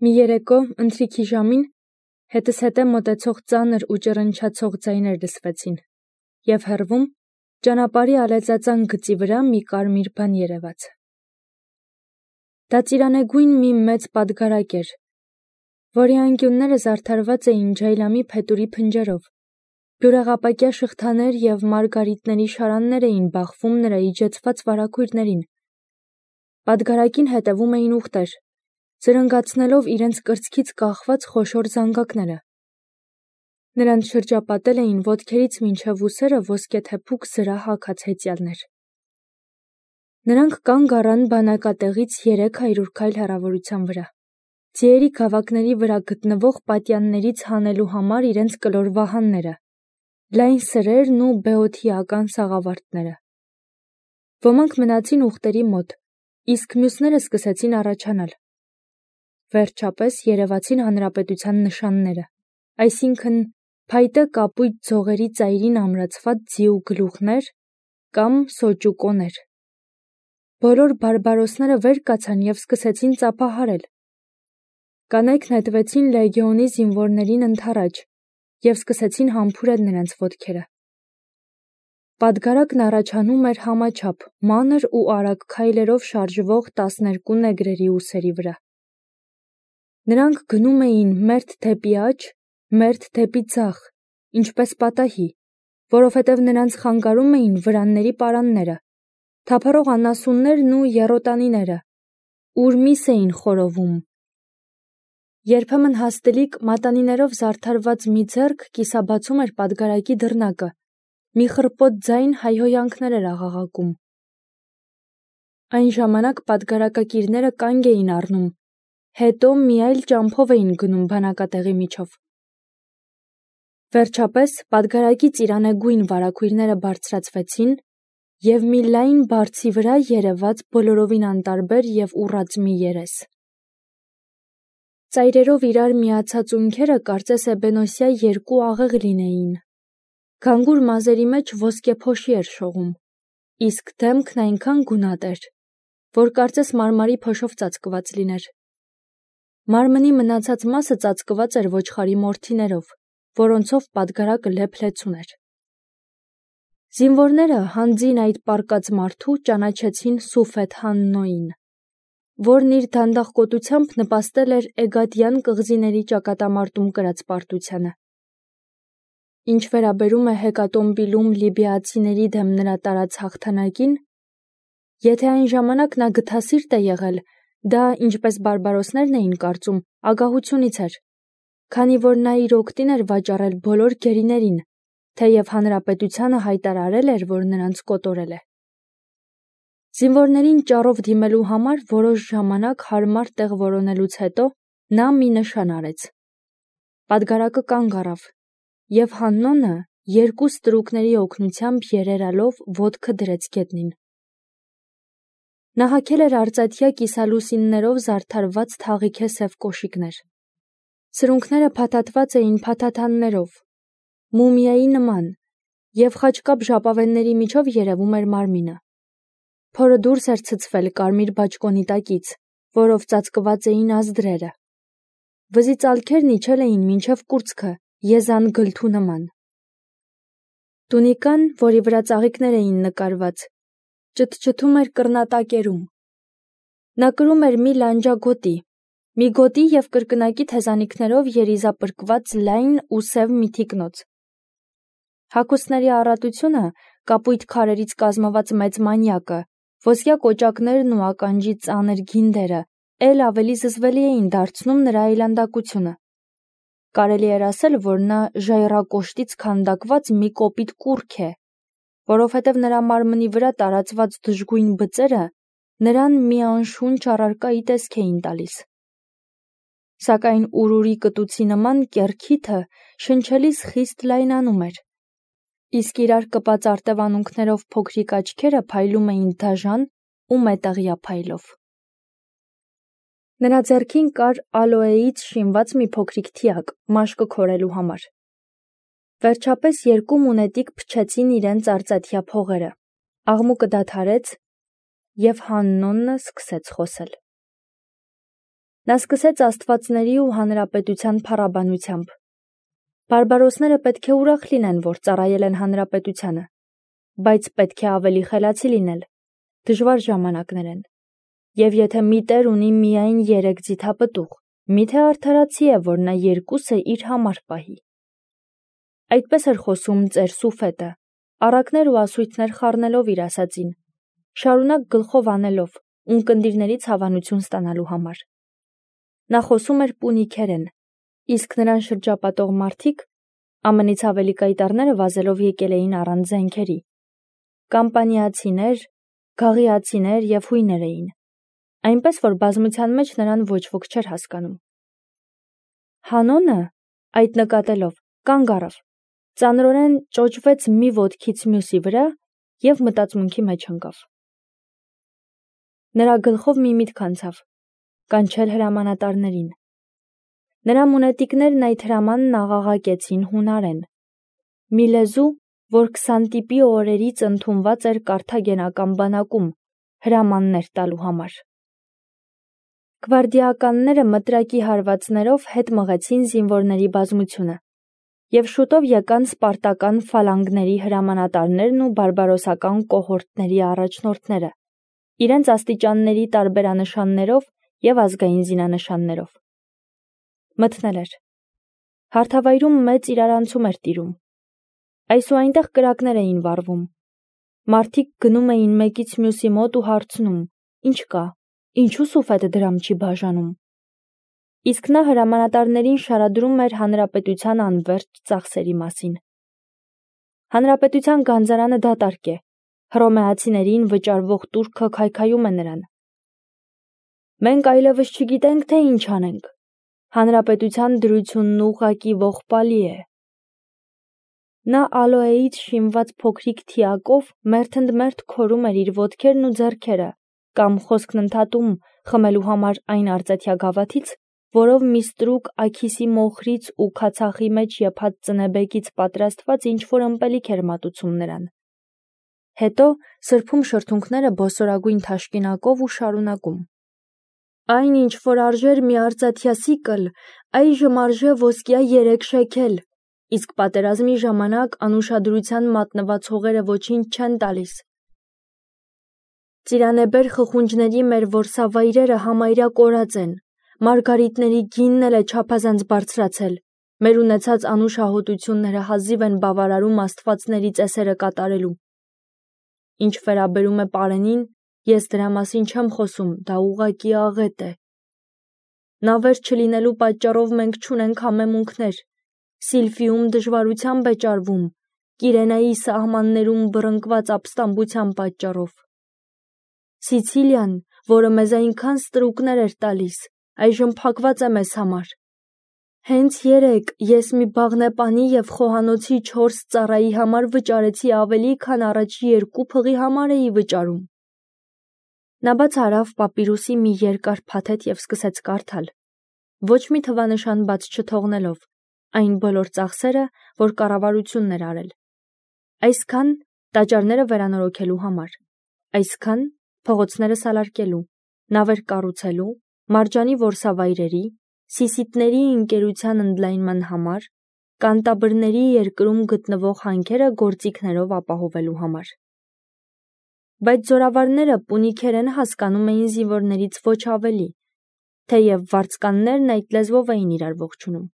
Մի երեկո, ընթրիքի ժամին, հետս հետե մոտեցող ծանր ու ճռնչացող ձայներ լսվեցին, և հեռվում, ճանապարհի ալեծածան գծի վրա մի կարմիր բան երևաց. դա ծիրանեգույն մի մեծ պատգարակ էր, որի անկյունները զարդարված էին ջայլամի փետուրի փնջերով, բյուրեղապակյա շղթաներ և մարգարիտների շարաններ էին բախվում նրա իջեցված վարագույրներին. պատգարակին հետևում էին ուղտեր, զրնգացնելով իրենց կրծքից կախված խոշոր զանգակները. նրանց շրջապատել էին ոտքերից մինչև ուսերը ոսկեթեփուկ զրահ հագած հեծյալներ. նրանք կանգ առան բանակատեղից 300 քայլ հեռավորության վրա, ձիերի գավակների վրա գտնվող պատյաններից հանելու համար իրենց կլոր վահանները, լայն սրերն ու բեոթիական սաղավարտները: Ոմանք մնացին ուղտերի մոտ, իսկ մյուսները սկսեցին առաջանալ: Վերջապես երևացին հանրապետության նշանները, այսինքն՝ փայտե կապույտ ձողերի ծայրին ամրացված ձիու գլուխներ կամ սոճուկոներ: Բոլոր բարբարոսները վեր կացան և սկսեցին ծափահարել: Կանայք նետվեցին լեգիոնի զինվորներին ընդառաջ և սկսեցին համբուրել նրանց ոտքերը: Պատգարակն առաջանում էր համաչափ, մանր ու արագ քայլերով շարժվող 12 նեգրերի ուսերի վրա: Նրանք գնում էին մերթ դեպի աջ, մերթ դեպի ձախ, ինչպես պատահի, որովհետև նրանց խանգարում էին վրանների պարանները, թափառող անասուններն ու եռոտանիները, ուր միս էին խորովում: Երբեմն հաստլիկ մատանիներով զարդարված մի ձեռք կիսաբացում էր պատգարակի դռնակը, մի խռպոտ ձայն հայհոյանքներ էր աղաղակում: Այն ժամանակ պատգարակակիրները կանգ էին առնում, հետո մի այլ ճամփով էին գնում բանակատեղի միջով: Վերջապես պատգարակի ծիրանեգույն վարագույրները բարձրացվեցին և մի լայն բարձի վրա երևաց բոլորովին անտարբեր և ուռած մի երես: Ծայրերով իրար միացած ունքերը կարծես էբենոսյա երկու աղեղ լինեին: Գանգուր մազերի մեջ ոսկե փոշի էր շողում, իսկ դեմքն այնքան գունատ էր, որ կարծես մարմարի փոշով ծածկված լիներ: Մարմնի մնացած մասը ծածկված էր ոչխարի մորթիներով, որոնցով պատգարակը լեփ-լեցուն էր: Զինվորները հանձին այդ պառկած մարդու ճանաչեցին Սուֆեթ Հաննոյին, որն իր դանդաղկոտությամբ նպաստել էր Էգադյան կղզիների ճակատամարտում կրած պարտությանը: Ինչ վերաբերում է հեկատոմբիլում լիբիացիների դեմ նրա տարած հաղթանակին, եթե այն ժամանակ նա գթասիրտ է եղել, դա, ինչպես բարբարոսներն էին կարծում, ագահությունից էր, քանի որ նա իր օգտին էր վաճառել բոլոր գերիներին, թեև հանրապետությանը հայտարարել էր, որ նրանց կոտորել է: Զինվորներին ճառով դիմելու համար որոշ ժամանակ հարմար տեղ որոնելուց հետո նա մի նշան արեց: Պատգարակը կանգ առավ, և Հաննոնը երկու ստրուկների օգնությամբ երերալով ոտքը դրեց գետնին: Նա հագել էր արծաթյա կիսալուսիններով զարդարված թաղիքե սև կոշիկներ: Սրունքները փաթաթված էին փաթաթաններով, մումիայի նման, և խաչկապ ժապավենների միջով երևում էր մարմինը: Փորը դուրս էր ցցվել կարմիր բաճկոնի տակից, որով ծածկված էին ազդրերը: Վզի ծալքերն իջել էին մինչև կուրծքը, եզան գլթու նման: Տունիկան, որի վրա ծաղիկներ էին նկարված, ճտճտում էր կռնատակերում: Նա կրում էր մի լանջագոտի, մի գոտի և կրկնակի թեզանիքներով երիզապրկված լայն ու սև մի թիկնոց: Հագուստների առատությունը, կապույտ քարերից կազմված մեծ մանյակը, ոսկյա կոճակներն ու ականջի ծանր գինդերը էլ ավելի զզվելի էին դարձնում նրա այլանդակությունը: Կարելի էր ասել, որ նա ժայռակոշտից քանդակված մի կոպիտ կուռք է, որովհետև նրա մարմնի վրա տարածված դժգույն բծերը նրան մի անշունչ առարկայի տեսք էին տալիս: Սակայն ուրուրի կտուցի նման կեռքիթը շնչելիս խիստ լայնանում էր, իսկ իրար կպած արտևանունքներով փոքրիկ աչքերը փայլում էին դաժան ու մետաղյա փայլով: Նրա ձեռքին կար ալոեից շինված մի փոքրիկ թիակ մաշկը քորելու համար: Վերջապես երկու մունետիկ փչեցին իրենց արծաթյա փողերը, աղմուկը դադարեց, և Հաննոնը սկսեց խոսել: Նա սկսեց աստվածների ու հանրապետության փառաբանությամբ։ Բարբարոսները պետք է ուրախ լինեն, որ ծառայել են հանրապետությանը, բայց պետք է ավելի խելացի լինել, դժվար ժամանակներ են, և եթե մի տեր ունի միայն 3 ձիթապտուղ, միթե արդարացի է, որ նա 2-ը իր համար պահի։ Այդպես էր խոսում ծեր Սուֆետը, առակներ ու ասույթներ խառնելով իր ասածին, շարունակ գլխով անելով, ունկնդիրներից հավանություն ստանալու համար։ Նա խոսում էր պունիկերեն, իսկ նրան շրջապատող մարդիկ ԱՄՆ-ից ավելի կայտառները վազելով եկել էին առանց զենքերի։ Կամպանիացիներ, գաղիացիներ և հույներ էին, այնպես որ բազմության մեջ նրան ոչ ոք չէր հասկանում։ Հանոնը, այդ նկատելով, կանգ առավ, ծանրորեն ճոճվեց մի ոտքից մյուսի վրա և մտածմունքի մեջ ընկավ։ Նրա գլխով մի միտք անցավ՝ կանչել հրամանատարներին։ Նրա մունետիկներն այդ հրամանն աղաղակեցին հունարեն, մի լեզու, որ 20 տիպի օրերից ընդունված էր կարթագենական բանակում հրամաններ տալու համար։ Գվարդիականները մտրակի հարվածներով հետ մղեցին զինվորների բազմությունը, և շուտով եկան սպարտական ֆալանգների հրամանատարներն ու բարբարոսական կոհորտների առաջնորդները, իրենց աստիճանների տարբերանշաններով և ազգային զինանշաններով։ Մթնել էր։ Հարթավայրում մեծ իրարանցում էր տիրում։ Այսուայնտեղ կրակներ էին վառվում։ Մարդիկ գնում էին մեկից մյուսի մոտ ու հարցնում. «Ինչ կա, ինչու Սուֆետը դրամ չի բաժանում»։ Իսկ նա հրամանատարներին շարադրում էր հանրապետության անվերջ ծախսերի մասին։ Հանրապետության գանձարանը դատարկ է, հռոմեացիներին վճարվող տուրքը քայքայում է նրան։ Մենք այլևս չգիտենք, թե ինչ անենք։ Հանրապետության դրությունն ուղղակի ողբալի է։ Նա ալոեից շինված փոքրիկ թիակով մերթընդմերթ քորում էր իր ոտքերն ու ձեռքերը կամ խոսքն ընդհատում խմելու համար այն արծաթյա գավաթից, որով մի ստրուկ աքիսի մոխրից ու քացախի մեջ եփած ծնեբեկից պատրաստված ինչ-որ ըմպելիք էր մատուցում նրան։ Հետո սրբում շրթունքները բոսորագույն թաշկինակով ու շարունակում. «Այն, ինչ որ արժեր մի արծաթյա սիկլ, այժմ արժե ոսկյա 3 շեքել, իսկ պատերազմի ժամանակ անուշադրության մատնված հողերը ոչինչ չեն տալիս։ Ծիրանեբեր խխունջների մեր որսավայրերը համարյա կորած են, մարգարիտների գինն էլ է չափազանց բարձրացել, մեր ունեցած անուշահոտությունները հազիվ են բավարարում աստվածների ծեսերը կատարելու։ Ինչ վերաբերում է պարենին, ես դրա մասին չեմ խոսում, դա ուղղակի աղետ է։ Նավեր չլինելու պատճառով մենք չունենք համեմունքներ, Սիլֆիում դժվարությամբ է ճարվում, Կիրենայի սահմաններում բռնկված ապստամբության պատճառով։ Սիցիլիան, որը մեզ այնքան ստրուկներ էր տալիս, այժմ փակված է մեզ համար։ Հենց երեկ ես մի բաղնեպանի և խոհանոցի 4 ծառայի համար վճարեցի ավելի, քան առաջի 2 փղի համար էի վճարում»։ Նա բաց արավ պապիրուսի մի երկար փաթեթ և սկսեց կարդալ, ոչ մի թվանշան բաց չթողնելով, այն բոլոր ծախսերը, որ կառավարությունն էր արել։ Այսքան տաճարները վերանորոգելու համար, այսքան փողոցները սալարկելու, նավեր կառուցելու, մարջանի որսավայրերի, սիսիթների ընկերության ընդլայնման համար, կանտաբրների երկրում գտնվող հանքերը գործիքներով ապահովելու համար։ Բայց զորավարները պունիկերեն հասկանում էին զինվորներից ոչ ավելի, թեև վարձկաններն այդ լեզվով էին իրար ողջունում։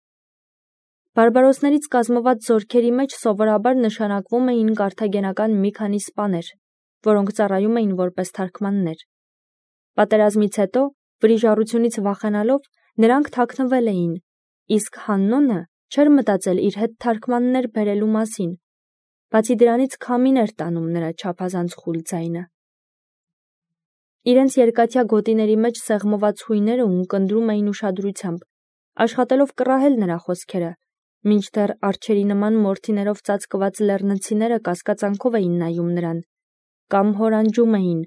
Բարբարոսներից կազմված զորքերի մեջ սովորաբար նշանակվում էին կարթագենական մի քանի սպաներ, որոնք ծառայում էին որպես թարգմաններ։ Պատերազմից հետո, վրիժառությունից վախենալով, նրանք թաքնվել էին, իսկ Հաննոնը չէր մտածել իր հետ թարգմաններ բերելու մասին, բացի դրանից քամին էր տանում նրա չափազանց խուլ ձայնը։ Իրենց երկաթյա գոտիների մեջ սեղմված հույները ունկնդրում էին ուշադրությամբ, աշխատելով կռահել նրա խոսքերը, մինչդեռ արջերի նման մորթիներով ծածկված լեռնցիները կասկածանքով էին նայում նրան, կամ հորանջում էին,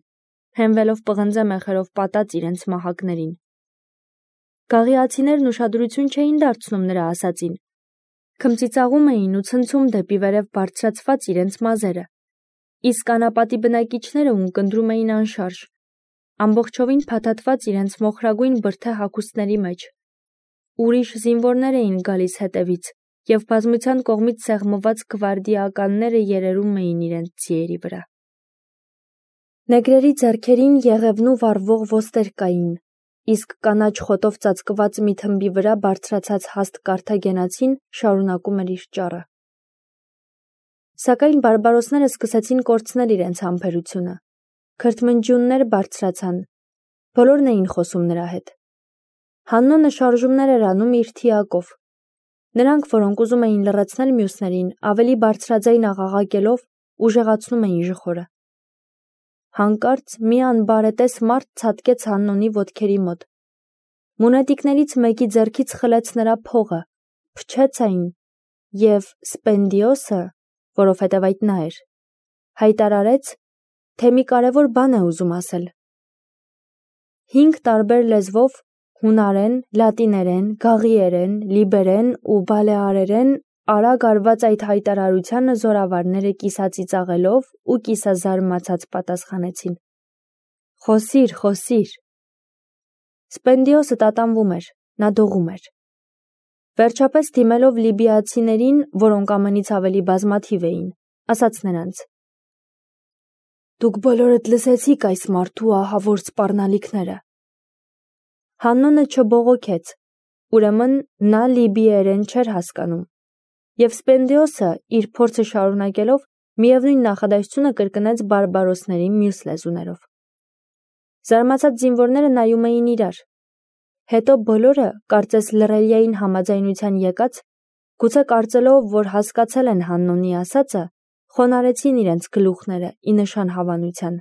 հենվելով պղնձե մեխերով պատած իրենց մահակներին։ Գաղիացիներն ուշադրություն չէին դարձնում նրա ասածին, քմծիծաղում էին ու ցնցում դեպի վերև բարձրացված իրենց մազերը, իսկ անապատի բնակիչները ունկնդրում էին անշարժ, ամբողջովին փաթաթված իրենց մոխրագույն բրդե հագուստների մեջ։ Ուրիշ զինվորներ էին գալիս հետևից, և բազմության կողմից սեղմված գվարդիականները երերում էին իրենց ձիերի վրա։ Նեգրերի ձեռքերին եղևնու վառվող ոստեր կային, իսկ կանաչ խոտով ծածկված մի թմբի վրա բարձրացած հաստ կարթագենացին շարունակում էր իր ճառը։ Սակայն բարբարոսները սկսեցին կորցնել իրենց համբերությունը։ Քրթմնջյուններ բարձրացան, բոլորն էին խոսում նրա հետ։ Հաննոնը շարժումներ էր անում իր թիակով։ Նրանք, որոնք ուզում էին լռեցնել մյուսներին, ավելի բարձրաձայն աղաղակելով ուժեղացնում էին ժխորը։ Հանկարծ մի անբարետես մարդ ցատկեց Հաննոնի ոտքերի մոտ։ Մունետիկներից մեկի ձեռքից խլեց նրա փողը, փչեց այն, և Սպենդիոսը, որովհետև այդ նա էր, հայտարարեց, թե մի կարևոր բան է ուզում ասել։ 5 տարբեր լեզվով հունարեն, լատիներեն, գաղիերեն, լիբերեն ու բալեարերեն արագ արված այդ հայտարարությանը զորավարները կիսածիծաղելով ու կիսազարմացած պատասխանեցին. «Խոսիր, խոսիր»։ Սպենդիոսը տատանվում էր, նա դողում էր։ Վերջապես դիմելով լիբիացիներին, որոնք ամենից ավելի բազմաթիվ էին, ասաց նրանց. «Դուք բոլորդ լսեցիք այս մարդու ահավոր սպառնալիքները»։ Հաննոնը չբողոքեց, ուրեմն նա լիբիերեն չէր հասկանում, և Սպենդիոսը իր փորձը շարունակելով միևնույն նախադասությունը կրկնեց բարբարոսների մյուս լեզուներով։ Զարմացած զինվորները նայում էին իրար։ Հետո բոլորը, կարծես լռելիային համաձայնության եկած, գուցե կարծելով, որ հասկացել են Հաննոնի ասածը, խոնարհեցին իրենց գլուխները ի նշան հավանության։